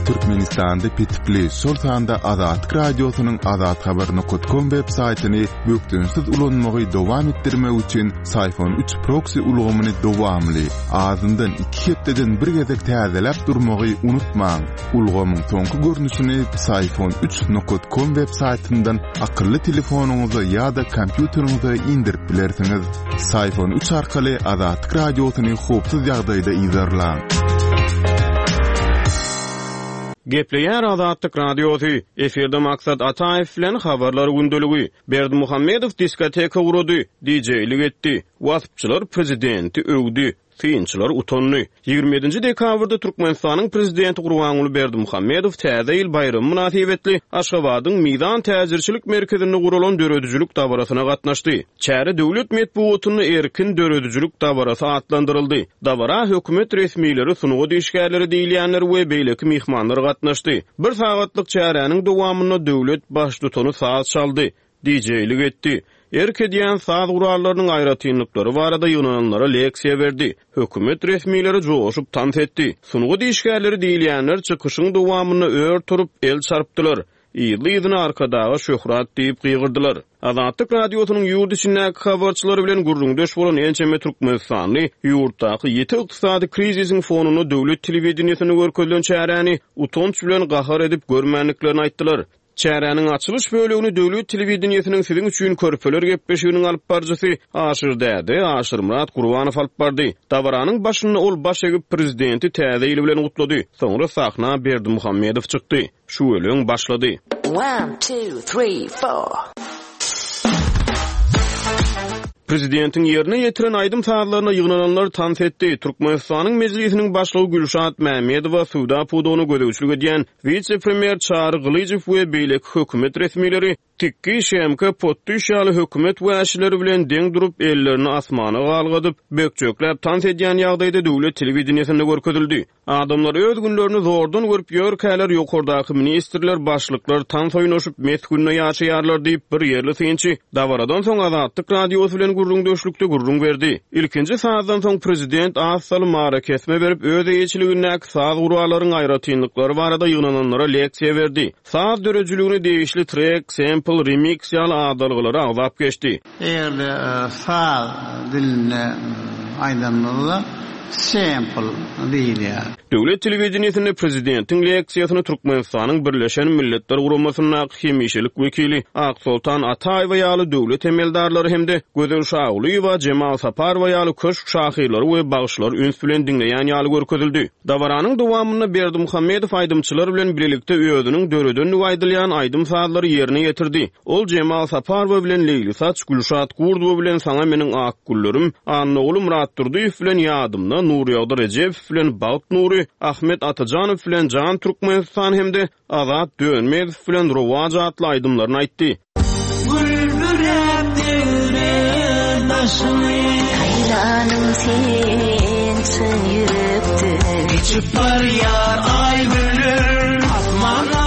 Türkmenistanda petikli, şol sanda Azatlyk Radiosynyň azathabar nokat kom web saýtyny bökdençsiz ulanmagy dowam etdirmek üçin Syfon 3 proksi ulgamyny dowamly, azyndan iki hepdeden bir gezek täzeläp durmagy unutmaň. Ulgamyň soňky görnüşini Syfon 3 nokat kom web saýtyndan akylly telefonyňyza ýa-da kompýuteriňize indirip bilersiňiz. Syfon 3 arkaly Azatlyk Radiosyny howpsuz ýagdaýda yzarlaň. Gepleýär Azatlyk Radiosy, efirde Maksat Ataýew bilen Habarlar gündeligi. Berdimuhamedow diskoteka gurady, dijeýlik etdi, waspçylar prezidenti öwdi. Synçylar utandy. 27-nji dekabrda Türkmenistanyň Prezidenti Gurbanguly Berdimuhamedow Täze ýyl baýramy mynasybetli Aşgabadyň Mizan täjirçilik merkezinde guralan döredijilik dabarasyna gatnaşdy. Çäre döwlet metbugatynda erkin döredijilik dabarasy atlandyryldy. Dabara hökümet resmileri, sungat işgärleri diýilýänler we beýleki myhmanlar gatnaşdy. Bir sagatlyk çäräniň dowamynda döwlet Baştutany saz çaldy. Dijeýlik etdi. Erk edýän saz gurallarynyň aýratynlyklary barada ýygnananlara leksiýa berdi. Hökümet resmileri joşup tans etdi. Sungat işgärleri diýilýänler çykyşyň dowamynda ör turup, el çarpdylar. Yzly-yzyna Arkadaga şöhrat diýip gygyrdylar. Azatlyk Radiosynyň ýurt içindäki habarçylary bilen gürrüňdeş bolan ençeme türkmenistanly ýurtdaky ýiti ykdysady krizisiň fonunda döwlet telewideniýesinde görkezilen çäräni utanç bilen gahar edip görmändiklerini aýtdylar. Çäräniň açylyş bölegini döwlet telewideniýesiniň Siziň üçin körpeler gepleşiginiň alyp baryjysy Aşyr däde, Aşyrmyrat Gurbanow alyp bardy. Dabaranyň başynda ol baş egip, prezidenti Täze ýyl bilen gutlady. Soňra sahna Berdimuhamedow çykdy. Şüweleň başlady. One, two, three, four. Prezidentiň ýerine ýetiren aýdym-sazlaryna ýygnananlar tans etdi. Türkmenistanyň Mejlisiniň Başlygy Gülşat Mämmedowa, söwda pudagyna gözegçilik edýän wise-premýer Çary Gylyjow we beýleki hökümet resmileri Tikgi, Şemke, Potdyş ýaly hökümet wäşileri bilen deň durup, ellerini asmana galgadyp, bökjekläp tans edýän ýagdaýda döwlet telewideniýesinde görkezildi. Adamlar öz günlerini zordan görüp ýörkäler, ýokardaky ministrler, başlyklar tans oýnaşyp, mes günde ýaşaýarlar diýip, bir ýerli synçy dabaradan soň Azatlyk Radiosy bilen gürrüňdeşlikde gürrüň berdi. Ilkinji sazdan soň prezident az salym arakesme berip, öz eýeçiligindäki saz gurallaryň aýratynlyklary barada ýygnananlara leksiýa berdi. Saz döredijiligine degişli trek, sempl, remiks ýaly adalgalary agzap geçdi. Eger-de saz dilinde aýdanymyzda sample diýilýär. Döwlet telewideniýesinde prezidentiň leksiýasyny Türkmenistanyň Birleşen Milletler Guramasyndaky hemişelik wekili Aksoltan Ataýewa ýaly döwlet emeldarlary hem-de Gözel Şagulyýewa, Jemal Saparowa ýaly köşk şahyrlary we bagşylary üns bilen diňleýän ýaly görkezildi. Dabaranyň dowamynda Berdimuhamedow aýdymçylar bilen bilelikde özüniň döredendigi aýdylýan aýdym-sazlary ýerine ýetirdi. Ol Jemal Saparowa bilen Leýli saç, Gülşat Gurdowa bilen Saňa meniň ak güllerim, Annaguly Myratdurdyýew bilen Ýadymda, Nurýagdy Rejepow bilen Bagt nury, Ahmet Atajanow bilen Jan Türkmenistan hem-de Azat Dönmezow bilen Rowaç atly aýdymlaryny aýtdy. Gül büräp degre daşyny. Saýlanym sen çyn ýürekden. Geçip barýar aý günler. Asmanda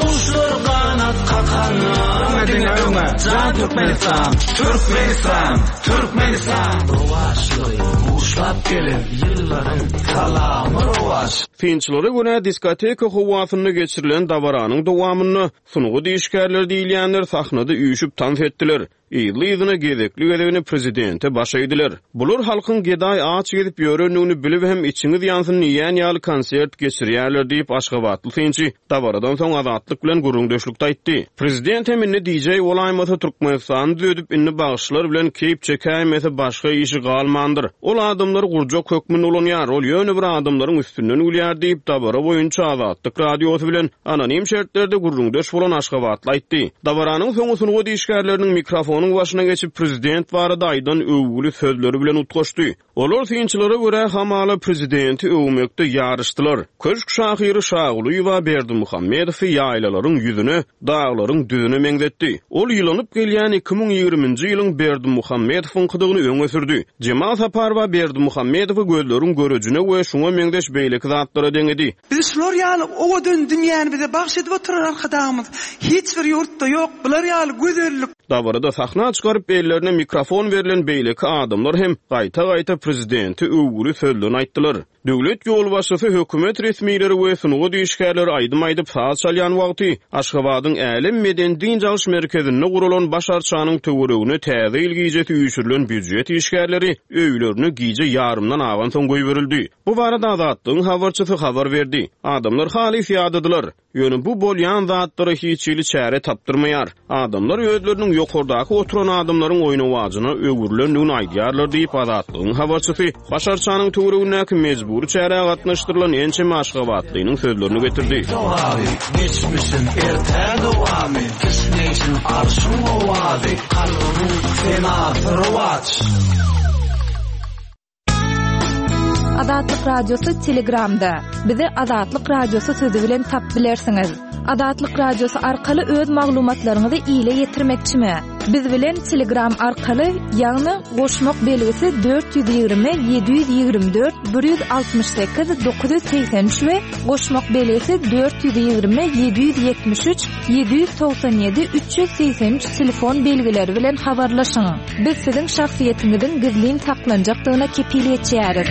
guşlar ganat kakanda. Öňe diňe öňe jan Türkmenistan Türkmenistan Türkmenistan. Rowaçlygy buşlap gelen ýyllaryň salamy rowaç. Synçylara görä, diskoteka howasynda geçirilen dabaranyň dowamynda sungat işgärleri diýilýänler sahnada üýşüp tans etdiler. Yzly-yzyna gezekli-gezegine prezidente baş egdiler. Bular halkyň gedaý aç gezip ýörendigini bilip hem içiňiz ýansyn diýýän ýaly konsert geçirýärler diýip, aşgabatly synçy dabaradan soň Azatlyk bilen gürrüňdeşlikde aýtdy. Prezident hem indi DJ bolaýmasa Türkmenistany düzedip indi bagşylar bilen keýp çekäýmese başga işi galmandyr. Ol adamlary gurjak hökmünde ulanýar, ol ýöne bir adamlaryň üstünden gülýär diýip, dabara boýunça Azatlyk Radiosy bilen Anonim şertlerde gürrüňdeş bolan aşgabatly aýtdy. Dabaranyň soňy sungat işgärleriniň mikrofonyň başyna geçip, prezident barada aýdan öwgüli sözleri bilen utgaşdy. Olar synçylara görä, hamala prezidenti öwmekde ýaryşdylar. Köşk şahyry Şagulyýewa Berdimuhamedowy ýaýlalaryň ýüzüne, daglaryň düzüne meňzetdi. Ol ýylanyp gelýän 2020-nji ýylyň Berdimuhamedowyňkydygyny öňe sürdi. Jemal Saparowa Berdimuhamedowy gözleriň görejine we şuňa meňzeş beýleki zatlara deňedi. Bizi şular ýaly owadan dünýäni bize bagş edip oturan Arkadagymyz hiç bir ýurtda ýok bular ýaly gözellik. Dabarada sahna çykaryp ellerine mikrofon berlen beýleki adamlar hem gaýta-gaýta prezidente öwgüli sözlerini aýtdylar. Döwlet ýolbaşçysy, hökümet resmileri we sungat işgärleri aýdym aýdyp, saz çalýan wagty, Aşgabadyň Älem medeni-dynç alyş merkezinde guralan baş arçanyň töweregine Täze ýyl gijesi üýşürilen býujet işgärleri öýlerine gije ýarymdan agansoň goýberildi. Bu barada Azatlygyň habarçysy habar berdi. Adamlar halys ýadadylar. Ýöne bu bolýan zatlara hiç hili çäre tapdyrmaýar. Adamlar özleriniň ýokardaky oturan adamlaryň oýnawajyna öwrülendigini aýdýarlar diýip, Azatlygyň habarçysy Baş arçanyň töweregindäki mejbury çärä gatnaşdyrylan ençeme aşgabatlynyň sözlerini getirdi. Sogaby, geçmişiň ertä dowamy, Kişňeýşiň arşyň owazy, Kalbymyň senasy rowaç. Azatlyk Radiosy Telegramda. Bizi Azatlyk Radiosy sözi bilen tap bilersiňiz. Azatlyk Radiosy arkaly öz maglumatlaryňyzy ile ýetirmekçimi? Biz bilen Telegram arkaly, ýagny goşmak belgisi 420 724 168 983 we goşmak belgisi 420 773 797 383 telefon belgileri bilen habarlaşyň. Biz siziň şahsyýetiňiziň gizlin saklanjakdygyna kepil geçýäris.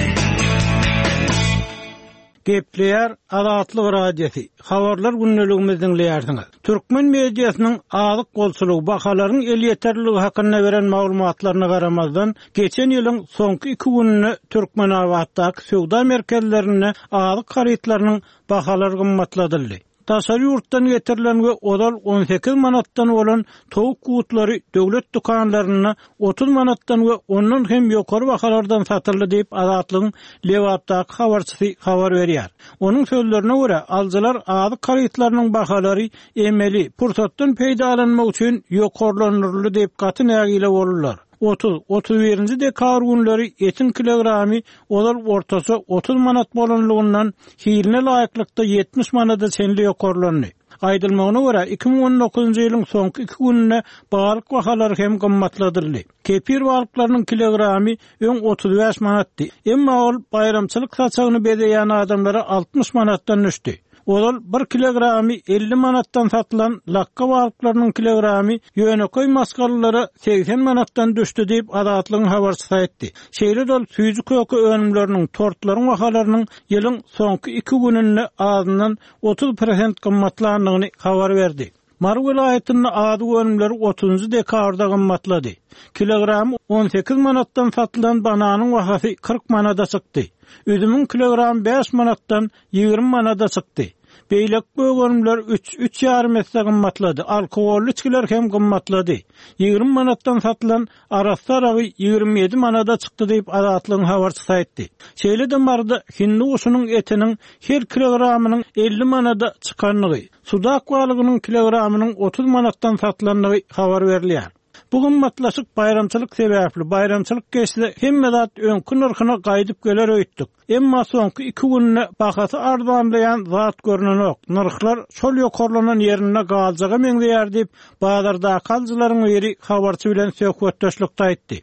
Gepleýär Azatlyk Radiosy, Habarlar gündeligimizi diňleýärsiňiz. Türkmen mediasynyň azyk bolçulygy, bahalaryň elýeterliligi hakynda beren maglumatlaryna garamazdan, geçen ýylyň soňky iki gününde Türkmenabatdaky söwda merkezlerinde azyk harytlarynyň bahalary gymmatladyldy. Daşary ýurtdan getirilen we ozal 18 manatdan bolan towuk gutlary döwlet dükanlarynda 30 manatdan we ondan hem ýokary bahalardan satyldy diýip, Azatlygyň Lebapdaky habarçysy habar berýär. Onuň sözlerine görä, alyjylar azyk harytlarynyň bahalary emeli, pursatdan peýdalanmak üçin ýokarlandyryldy diýip gaty nägile boldular. 30, 31-nji dekabr günleri etiň kilogramy ozal ortaça 30 manat bolanlygyndan hiline laýyklykda 70 manada çenli ýokarlandy. Aýdylmagyna görä, 2019-njy ýylyň soňky iki gününde balyk bahalary hem gymmatladyldy. Kepir balyklarynyň kilogramy öň 35 manatdy, emma ol baýramçylyk saçagyny bezeýän adamlara 60 manatdan düşdi. Ozal bir kilogramy 50 manatdan satylan lakga balyklarynyň kilogramy ýönekeý maşgalalara 80 manatdan düşdi diýip, Azatlygyň habarçysy aýtdy. Şeýle-de ol süýji-köke önümleriniň, tortlaryň bahalarynyň ýylyň soňky iki gününde azyndan 30 prosent gymmatlandygyny habar berdi. Mary welaýatynda azyk önümleri otuzynjy dekabrda gymmatlady. Kilogramy 18 manatdan satylan bananyň bahasy 40 manada çykdy. Üzümiň kilogramy 5 manatdan 20 manada çykdy. Beýleki gök önümler üç, üç ýarym esse gymmatlady. Alkogolly içgiler hem gymmatlady. 20 manatdan satylan arassa aragy 27 manada çykdy diýip, Azatlygyň habarçysy aýtdy. Şeýle-de Maryda hindi guşunyň etiniň her kilogramynyň 50 manada çykandygy, Sudak balygynyň kilogramynyň 30 manatdan satylandygy habar berilýär. Bu gymmatlaşyk baýramçylyk sebäpli, baýramçylyk geçse hemme zat öňki nyrhyna gaýdyp geler öýtdük. Emma soňky iki günde bahasy arzanlaýan zat görnenok, nyrhlar şol ýokarlanan ýerinde galjaga meňzeýär diýip, bazardaky alyjylaryň biri habarçy bilen söhbetdeşlikde aýtdy.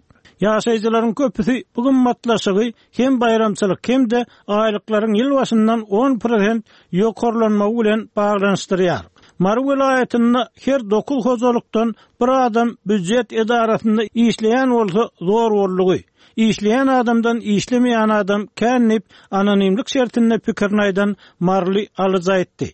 Ýaşaýjylaryň köpüsi bu gymmatlaşygy hem baýramçylyk hem-de aýlyklaryň ýyl başyndan on prosent ýokarlanmagy bilen baglanyşdyrýar. Mary welaýatynda her dokuz hojalykdan bir adam býujet edarasynda işleýän bolsa zor boldugy. Işleýän adamdan işlemeýän adam kän diýip, anonimlik şertinde pikirini aýdan maryly alyjy aýtdy.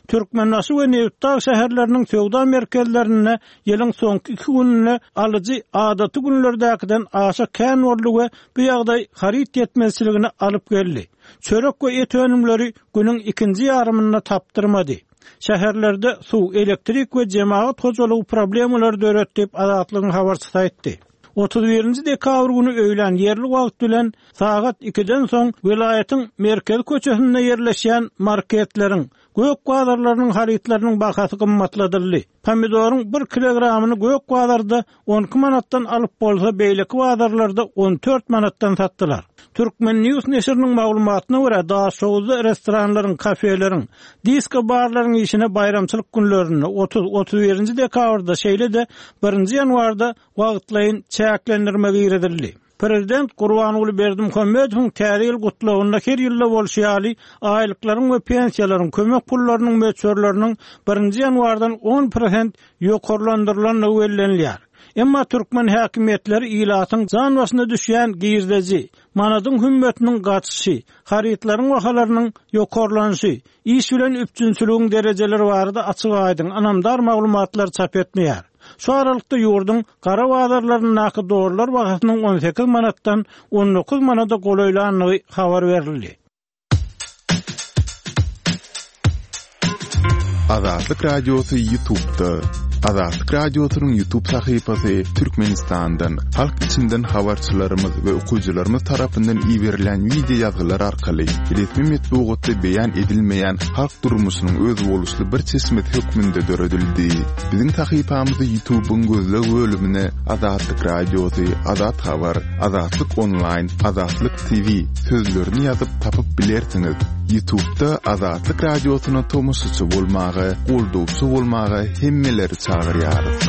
Türkmenbaşy we Nebitdag şäherleriniň söwda merkezlerinde ýylyň soňky iki gününde alyjy adaty günlerdäkiden aşa kän boldy we bu ýagdaý haryt ýetmezçiligine alyp geldi. Çörek we et önümleri günüň ikinji ýarymynda tapdyrmady. Şäherlerde suw, elektrik we jemagat hojalygy problemalary döredi diýip, Azatlygyň habarçysy aýtdy. 31-nji dekabr güni öýlän ýerli wagt bilen sagat ikiden soň welaýatyň merkezi köçesinde ýerleşýän marketleriň, gök bazarlarynyň harytlarynyň bahasy gymmatladyldy. Pomidoryň bir kilogramyny gök bazarda 12 manatdan alyp bolsa, beýleki bazarlarda 14 manatdan satdylar. Turkmen. News neşiriniň maglumatyna görä, Daşoguzda restoranlaryň, kafeleriň, disko-barlaryň işine baýramçylyk günlerinde, 30, 31-nji dekabrda, şeýle-de birinji ýanwarda wagtlaýyn çäklendirme girizildi. Prezident Gurbanguly Berdimuhamedowyň Täze ýyl gutlagynda her ýylda bolşy ýaly, aýlyklaryň we pensiýalaryň, kömek pullarynyň möçberleriniň birinji ýanwardan on prosent ýokarlandyrylandygy bellenilýär. Emma türkmen häkimiýetleri ilatyň jan başyna düşýän girdeji, manadyň hümmetiniň gaçyşy, harytlaryň bahalarynyň ýokarlanyşy, iş bilen üpjünçiligiň derejeleri barada açyk-aýdyň, ynamdar maglumatlary çap etmeýär. Şu aralykda ýurduň gara bazarlaryndaky dollar bahasynyň 18 manatdan 19 manada golaýlandygy habar berildi. Azatlyk Radiosy YouTube'da. Azatlyk Radiosynyň YouTube sahypasy Türkmenistandan, halk içinden habarçylarymyz we okyjylarymyz tarapyndan iberilen wideo ýazgylar arkaly resmi metbugatda beýan edilmeýän halk durmuşynyň özboluşly bir çeşmesi hökmünde döredildi. Biziň sahypamyzy YouTube'yň gözleg bölümine Azatlyk Radiosy, Azat Habar, Azatlyk Onlaýn, Azatlyk TV sözlerini ýazyp tapyp bilersiňiz. Ýutubda Azatlyk Radiosyna tomaşaçy bolmaga, goldawçy bolmaga hemmeleri çagyrýarys.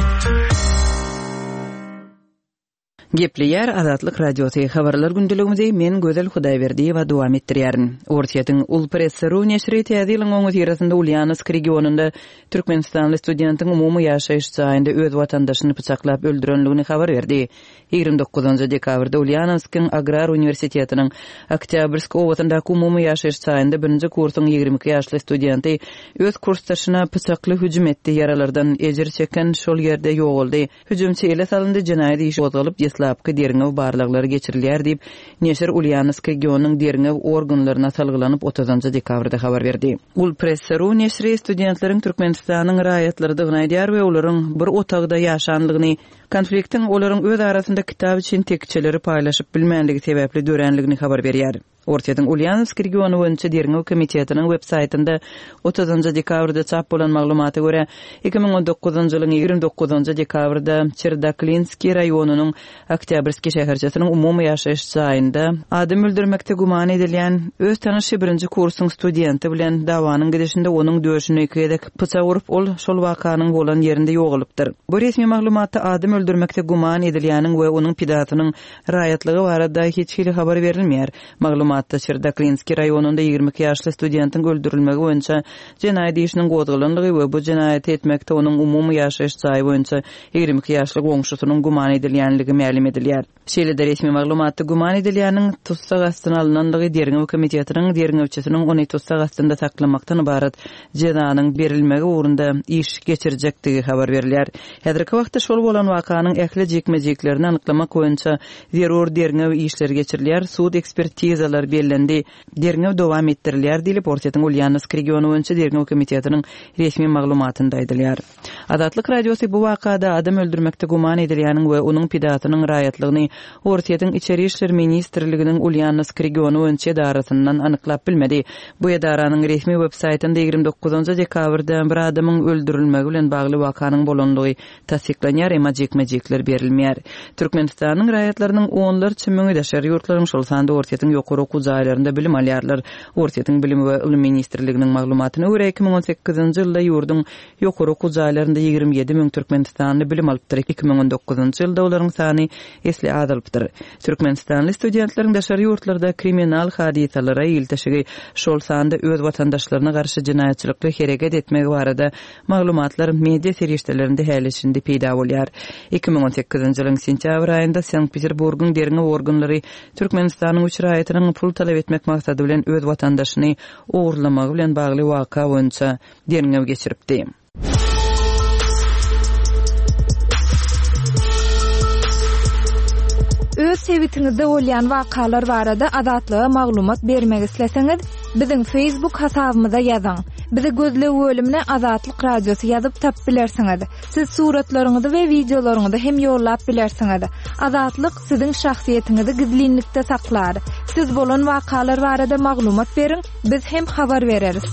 Gepleýär Azatlyk Radiosy, Habarlar gündeligimizi men Gözel Hudaýberdiýewa dowam etdirýärin. Orsýetiň Ulpress. Ru neşiri Täze ýylyň öňüsyrasynda Ulýanowsk regionynda türkmenistanly studentiň umumy ýaşaýyş jaýynda öz watandaşyny pyçaklap öldürenligini habar berdi. 29 dekabrda Ulýanowskyň agrar uniwersitetiniň Oktýabrsk obasyndaky umumy ýaşaýyş jaýynda birinji kursuň 22 ýaşly studenti öz kursdaşyna pyçakly hüjüm etdi, ýaralardan ejir çeken şol ýerde ýogaldy. Hüjümçi ele salyndy, jenaýat işi gozgalyp, deslapky derňew barlaglary geçirilýär diýip, neşir Ulýanowsk regionynyň derňew organlaryna salgylanyp, otuzynjy dekabrda habar berdi. Ulpress. Ru neşiri studentleriň Türkmenistanyň raýatlarydygyny aýdýar we olaryň bir otagda ýaşanlygyny, konfliktiň olaryň öz arasynda kitap üçin tekjeleri paýlaşyp bilmänligi sebäpli döränligini habar berýär. Orsýetiň Ulýanowsk regiony boýunça derňew komitetiniň web saýtynda otuzynjy dekabrda çap bolan maglumata görä, 2019-njy ýylyň 29-njy dekabrda Çerdaklinskiý raýonynyň Oktýabrskiý şäherçesiniň umumy ýaşaýyş jaýynda adam öldürmekde güman edilýän öz tanyşy birinji kursuň studenti bilen dawanyň gidişinde onuň döşüne iki gezek pyçak urup, ol şol wakanyň bolan ýerinde ýogalypdyr. Bu resmi maglumatda adam öldürmekde güman edilýäniň we onuň pidasynyň Raýatlygy barada hiç hili habar berilmeýär. Maglumatda Çerdaklinskiý raýonynda 22 ýaşly studentiň öldürilmegi boýunça jenaýat işiniň gozgalandygy we bu jenaýaty etmekde onuň umumy ýaşaýyş jaýy boýunça 22 ýaşly goňşusynyň güman edilýänligi mälim edilýär. Şeýle-de resmi maglumatda güman edilýäniň tussag astyna alnandygy derňew komitetiniň derňewçisiniň ony tussag astynda saklamakdan ybarat jezanyň berilmegi ugrunda iş geçirjekdigi habar berilýär. Häzirki wagtda şol bolan wakanyň ähli jikme-jiklerini anyklamak boýunça zerur derňew işleri geçirilýär, sud ekspertizalar bellendi, derňew dowam etdirilýär diýlip, Orsýetiň Ulýanowsk regiony boýunça derňew komitetiniň resmi maglumatynda aýdylýar. Azatlyk Radiosy bu wakada adam öldürmekde güman edilýäniň we onuň pidasynyň raýatlygyny Orsýetiň Içeri işler ministrliginiň Ulýanowsk regiony boýunça edarasyndan anyklap bilmedi. Bu edaranyň resmi web saýtynda 29 dekabrda bir adamyň öldürilmegi bilen bagly wakanyň bolandygy tassyklanýar, emma jikme-jikler berilmeýär. Türkmenistanyň raýatlarynyň onlarça müňi daşary ýurtlaryň, şol sanda Orsýetiň ýokary okuw jaýlarynda bilim alýarlar. Orsýetiň Bilim we ylym ministrliginiň maglumatyna görä, 2018-nji ýylda ýurduň Ýokary okuw jaýlarynda 27 müň türkmenistanly bilim alypdyr, 2019-njy ýylda olaryň sany esli azalypdyr. Türkmenistanly studentleriň daşary ýurtlarda kriminal hadysalara ilteşigi, şol sanda öz watandaşlaryna garşy jenaýatçylykly hereket etmegi barada maglumatlar media serişdelerinde häli-şindi peýda bolýar. 2018-nji ýylyň sentýabr aýynda Sankt-Peterburgyň derňew organlary Türkmenistanyň üç raýatynyň pul talap etmek maksady bilen öz watandaşyny ogurlamagy bilen bagly waka boýunça derňew geçiripdi. Öz sebitiňizde bolýan wakalar barada Azatlyga maglumat bermek isleseňiz, biziň Facebook hasabymyza ýazyň. Bizi gözleg bölümine Azatlyk Radiosy ýazyp tapyp bilersiňiz. Siz suratlaryňyzy we wideolaryňyzy hem ýollap bilersiňiz. Azatlyk siziň şahsyýetiňizi gizlinlikde saklar. Siz bolan wakalar barada maglumat beriň, biz hem habar bereris.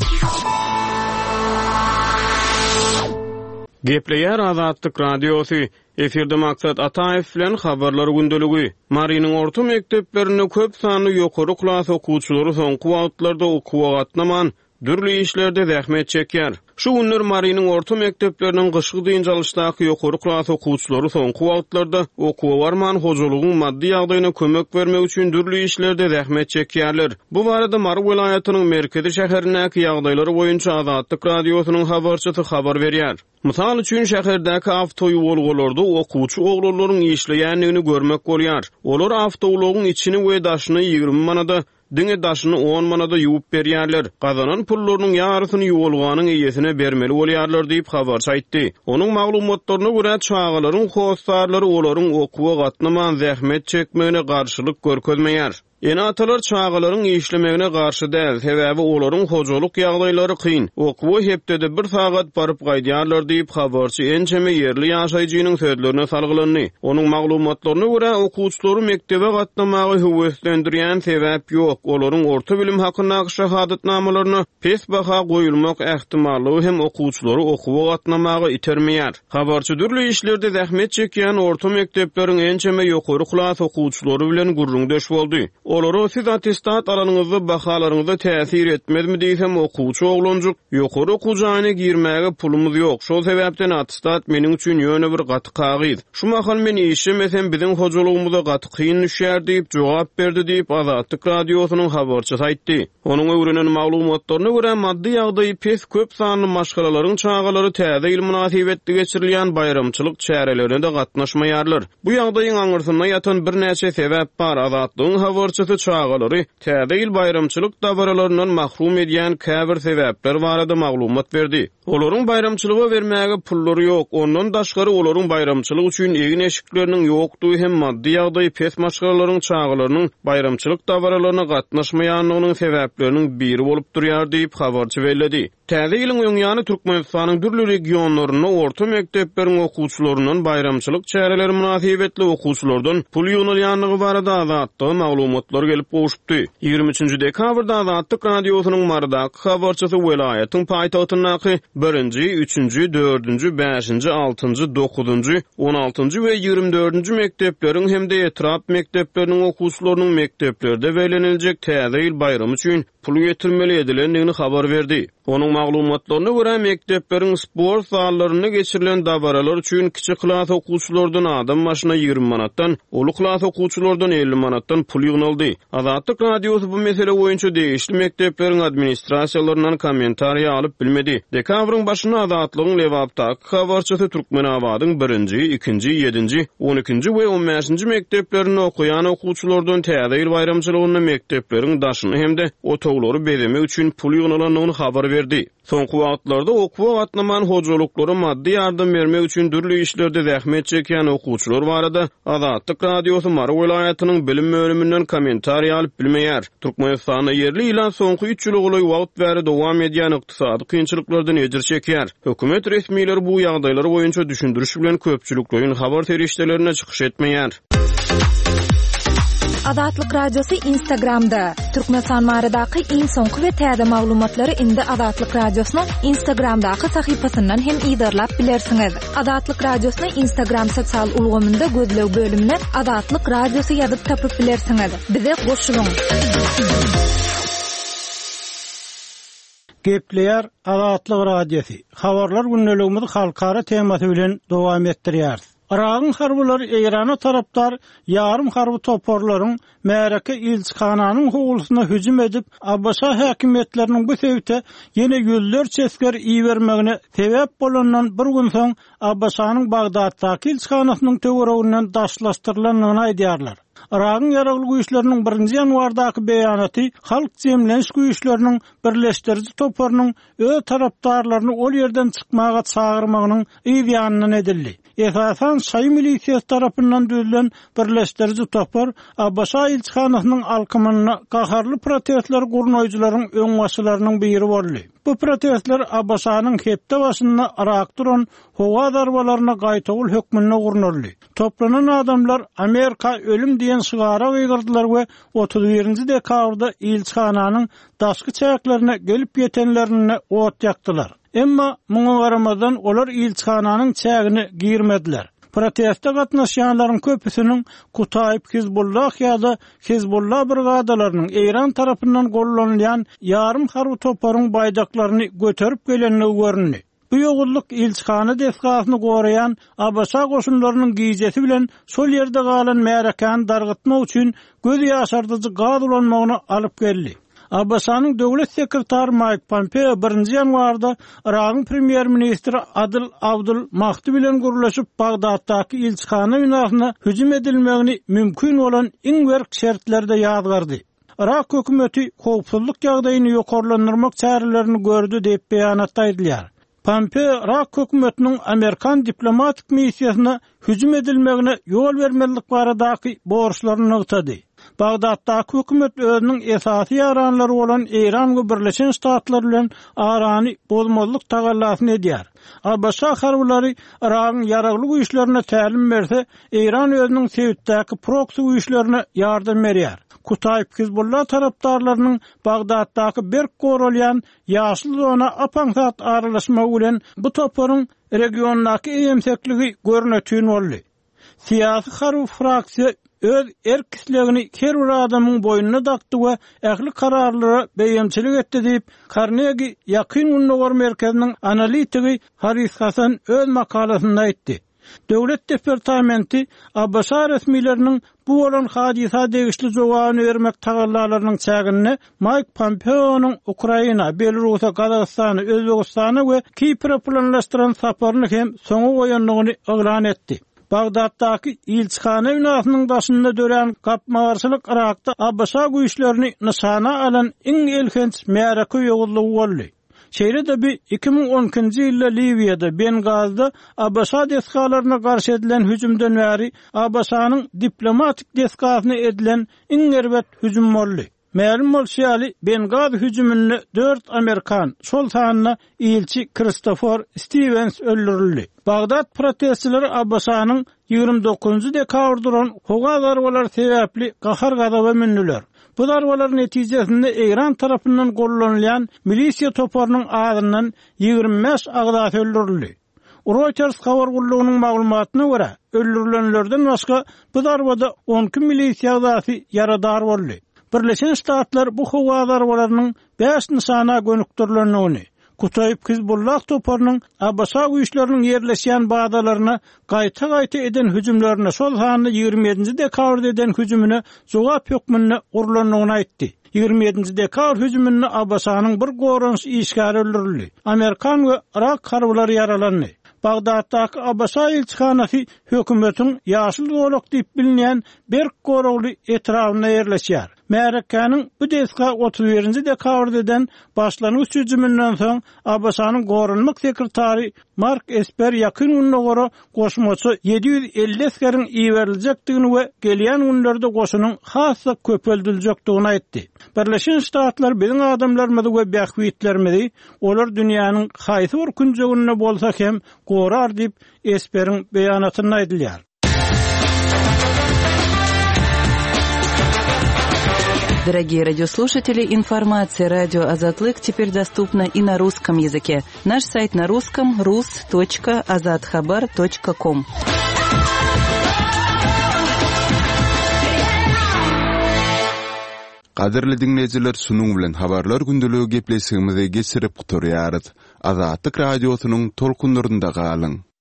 Gepleýär Azatlyk Radiosy, Efirde Maksat Ataýew bilen Habarlar gündeligi. Marynyň orta mekdeplerinde köp sanly ýokary klas okuwçylary soňky wagtlarda okuwa gatnaman, dürli işlerde zähmet çekýär. Şu günler Marynyň orta mekdepleriniň gyşky dynç alyşdaky ýokary klas okuwçylary soňky wagtlarda okuwa barman, hojalygyň maddy ýagdaýyna kömek bermek üçin dürli işlerde zähmet çekýärler. Bu barada Mary welaýatynyň merkezi şäherindäki ýagdaýlar boýunça Azatlyk Radiosynyň habarçysy habar berýär. Mysal üçin, şäherdäki awtoýuwalgalarda okuwçy oglanlaryň işleýändigini görmek bolýar. Olar awtoulagyň içini we daşyny 20 manada, diňe daşyny on manada ýuwup berýärler. Gazanan pullarynyň ýarysyny ýuwalganyň eýesine bermeli bolýarlar diýip, habarçy aýtdy. Onuň maglumatlaryna görä, çagalaryň hossarlary olaryň okuwa gatnaman zähmet çekmegine garşylyk görkezmeýär. Ene-atalar çagalaryň işlemegine garşy däl, sebäbi olaryň hojalyk ýagdaýlary kyn, okuwa hepdede bir sagat baryp gaýdýarlar diýip, habarçy ençeme ýerli ýaşaýjynyň sözlerine salgylandy. Onuň maglumatlaryna görä, okuwçylary mekdebe gatnamaga höweslendirýän sebäp ýok, olaryň orta bilim hakyndaky şahadatnamalaryna pes baha goýulmak ähtimallygy hem okuwçylary okuwa gatnamaga itermeýär. Habarçy dürli işlerde zähmet çekýän orta mekdepleriň ençeme ýokary klas okuwçylary bilen gürrüňdeş boldy. Olara siz attestat alanyňyzda bahalaryňyza täsir etmezmi diýsem, okuwçy oglanjyk, Ýokary okuw jaýyna girmäge pulumyz ýok, şol sebäpden attestat meniň üçin ýöne bir gaty kagyz. Şu mahal men işlemesem biziň hojalygymyza gaty kyn düşýär diýip jogap berdi diýip, Azatlyk Radiosynyň habarçysy aýtdy. Onuň öwrenen maglumatlaryna görä, maddy ýagdaýy pes köp sanly maşgalalaryň çagalary Täze ýyl mynasybetli geçirilýän baýramçylyk çärelerine-de gatnaşmaýarlar. Bu ýagdaýyň aňyrsynda ýatan birnäçe sebäp bar, Azatlygyň habarçysy çagalary Täze ýyl baýramçylyk dabaralaryndan mahrum edýän käbir sebäpler barada maglumat berdi. Olaryň baýramçylyga bermäge pullary ýok, ondan daşgary olaryň baýramçylyk üçin egin-eşikleriniň ýokdugy hem maddy ýagdaýy pes maşgalalaryň çagalarynyň baýramçylyk dabaralaryna gatnaşmaýandygynyň sebäpleriniň biri bolup durýar diýip, habarçy belledi. Täze ýylyň öň ýany Türkmenistanyň dürli regionlarynda orta mekdepleriň okuwçylaryndan baýramçylyk çäreleri mynasybetli okuwçylardan pul ýygnalýandygy barada Azatlyga maglumatlar gelip gowşupdy. 23-nji dekabrda Azatlyk Radiosynyň Marydaky habarçysy welaýatyň paýtagtyndaky birinji, üçünji, dördünji, bäşinji, altynjy, dokuzynjy, on altynjy we 24-nji mekdepleriň hem-de etrap mekdepleriniň okuwçylarynyň mekdeplerde belleniljek Täze ýyl baýramy üçin pul getirmeli edilendigini habar berdi. Onuň maglumatlaryna görä, mekdepleriň sport zallarynda geçirilen dabaralar üçin kiçi klas okuwçylardan adam başyna 20 manatdan, uly klas okuwçylardan 50 manatdan pul ýygnaldy. Azatlyk Radiosy bu mesele boýunça degişli mekdepleriň administrasiýalaryndan kommentariýa alyp bilmedi. Dekabryň başynda Azatlygyň Lebapdaky habarçysy Türkmenabadyň birinji, ikinji, ýedinji, on ikinji we on bäşinji mekdeplerinde okaýan okuwçylardan Täze ýyl baýramçylygynda mekdepleriň daşyny hem-de otaglary bezemek üçin pul ýygnalandygyny habar berdi. Soňky wagtlarda okuwa gatnaman hojalyklara maddy ýardam bermek üçin dürli işlerde zähmet çekýän okuwçylar barada Azatlyk Radiosy Mary welaýatynyň bilim bölüminden kommentariý alyp bilmeýär. Türkmenistanda ýerli ilat soňky üç ýyla golaý wagt bäri dowam edýän ykdysady kynçylyklardan ejir çekýär. Hökümet resmileri bu ýagdaýlar boýunça düşündiriş bilen köpçülikleýin habar serişdelerinde çykyş etmeýär. Azatlyk Radiosy Instagramda, Türkmenistan baradaky iň soňky we täze maglumatlary indi Azatlyk Radiosynyň Instagramdaky sahypasyndan hem yzarlap bilersiňiz. Azatlyk Radiosyny Instagram sosial ulgamynda gözleg bölümine Azatlyk Radiosy ýazyp tapyp bilersiňiz. Bize goşulyň! Gepleýär Azatlyk Radiosy, Habarlar gündeligimizi halkara temasy bilen dowam etdirýäris. Yragyň harbylary Eýrana tarapdar ýarym harby toparlaryň märeke ilçihananyň howlusyna hüjüm edip, ABŞ häkimiýetleriniň bu sebite ýene ýüzlerçe esger ibermegine sebäp bolandan bir gün soň ABŞ-nyň Bagdatdaky ilçihanasynyň töwereginden daşlaşdyrylandygyny aýdýarlar. Yragyň Ýaragly güýçleriniň birinji ýanwardaky beýanaty Halk jemleniş güýçleriniň birleşdiriji toparynyň öz tarapdarlaryny ol ýerden çykmaga çagyrmagynyň yz ýanyndan edildi. Esasan şaýy milisiýasy tarapyndan düzülen birleşdiriji topar ABŞ ilçihanasynyň alkymynda gaharly protestleri gurnaýjylaryň öňbaşçylarynyň biri boldy. Bu protestler ABŞ-nyň hepde başynda Yrakda uran howa zarbalaryna gaýtawul hökmünde gurnaldy. Toplanan adamlar Amerika ölüm diýen şygara gygyrdylar we 31-nji dekabrda ilçihananyň daşky çäklerine gelip ýetenlerinde ot ýakdylar. Emma, muňa garamazdan, olar ilçihananyň çägine girmediler. Proteste gatnaşýanlaryň köpüsiniň Kutaýb Hizbullah ýa-da Hizbullah brigadalarynyň Eýran tarapyndan gollanylýan ýarym harby toparyň baýdaklaryny göterip gelendigi göründi. Bu ýowuzlyk ilçihana desgasyny goraýan ABŞ goşunlarynyň gijesi bilen şol ýerde galan märekäni dargytmak üçin göz ýaşardyjy gaz ulanmagyna alyp geldi. ABŞ-nyň Döwlet sekretary Maýk Pompeo birinji ýanwarda Yragyň premýer-ministri Adyl Abdul Mahdi bilen gürleşip, Bagdatdaky ilçihana binasyna hüjüm edilmegini mümkin bolan iň berk şertlerde ýazgardy. Yrak hökümeti howpsuzlyk ýagdaýyny ýokarlandyrmak çärelerini gördi diýip, beýanatda aýdylýar. Pompeo Yrak hökümetiniň amerikan diplomatik missiýasyna hüjüm edilmegine ýol bermezlik baradaky borçlaryny nygtady. Bagdatdaky hökümet özüniň esasy ýaranlary bolan Eýran we Birleşen Ştatlar bilen arany bozmazlyk tagallasyny edýär. ABŞ harbylary Yragyň ýaragly güýçlerine tälim berse, Eýran özüniň sebitdäki proksi güýçlerine ýardam berýär. Kutaýb Hizbullah tarapdarlarynyň Bagdatdaky berk goralýan ýaşyl zona ap-aňsat aralaşmagy bilen bu toparyň regiondaky eýemsekligi görnetin boldy. Syýasy-harby fraksiýa öz erk-islegini her bir adamyň boýnuna dakdy we ähli kararlara beýemçilik etdi diýip, Karnegi Ýakyn Gündogar merkeziniň analitigi Haris Hasan öz makalasynda aýtdy. Döwlet departamenti ABŞ resmileriniň bu bolan hadysa degişli jogabyny bermek tagallalarynyň çäginde Maýk Pompeonyň Ukraina, Belarusa, Gazagystana, Özbegistana we Kipre planlaşdyran saparyny hem soňa goýandygyny yglan etdi. Bagdatdaky ilçihana binasynyň daşynda dörän gapma-garşylyk Yrakda ABŞ güýçlerini nyşana alan iň elhenç märeke ýowuzlygy boldy. Şeýle-de bi 2012-nji ýylda Liwiýada, Bengazda ABŞ desgalaryna garşy edilen hüjümden bäri ABŞ-nyň diplomatik desgasyna edilen iň erbet hüjüm boldy. Mälim bolşy ýaly, Bengazi hüjüminde dört amerikan, şol sanda ilçi Kristofor Stiwens öldürildi. Bagdat protestçileri ABŞ-nyň 29 dekabrda uran howa zarbalary sebäpli gahar-gazaba mündüler. Bu zarbalar netijesinde Eýran tarapyndan gollanylýan milisiýa toparynyň azyndan 25 agzasy öldürildi. Reuters habar gullugynyň maglumatyna görä, öldürilenlerden başga bu zarbada 12 milisiýa agzasy ýaradar boldy. Birleşen Ştatlar bu howa zarbalarynyň bäş nyşana gönükdirilendigini, Kutaýb Hizbullah toparynyň ABŞ güýçleriniň ýerleşýän bazalaryna gaýta-gaýta eden hüjümlerine, şol sanda 27 nji dekabrda eden hüjümine jogap hökmünde gurlandygyny aýtdy. 27 nji dekabr hüjüminde ABŞ-nyň bir goranyş işgäri öldürildi. Amerikan we yrak harbylary ýaralandy. Bagdatdaky ABŞ ilçihanasy hökümetiň ýaşyl zolak diýip bilinýän berk goragly etrabynda ýerleşýär. Märekäniň bu desga 31 nji dekabrda eden başlangyç hüjüminden soň, ABŞ-nyň goranmak sekretary Mark Esper Ýakyn Gündogara goşmaça 750 esgeriň iberiljekdigini we gelýän günlerde goşunyň has-da köpeldiljekdigini aýtdy. Birleşen Ştatlar biziň adamlarymyzy we bähbitlerimizi, olar dünýäniň haýsy bir künjeginde bolsa hem, gorar diýip, Esperiň beýanatynda aýdylýar. Дорогие радиослушатели, информация радио Азатлык теперь доступна и на русском языке. Наш сайт на русском rus.azathabar.com. Gadyrly diňleýjiler şunuň bilen habarlar gündeligi gepleşigimizi geçirip gutarýarys. Azatlyk radiosynyň tolkunlarynda galyň.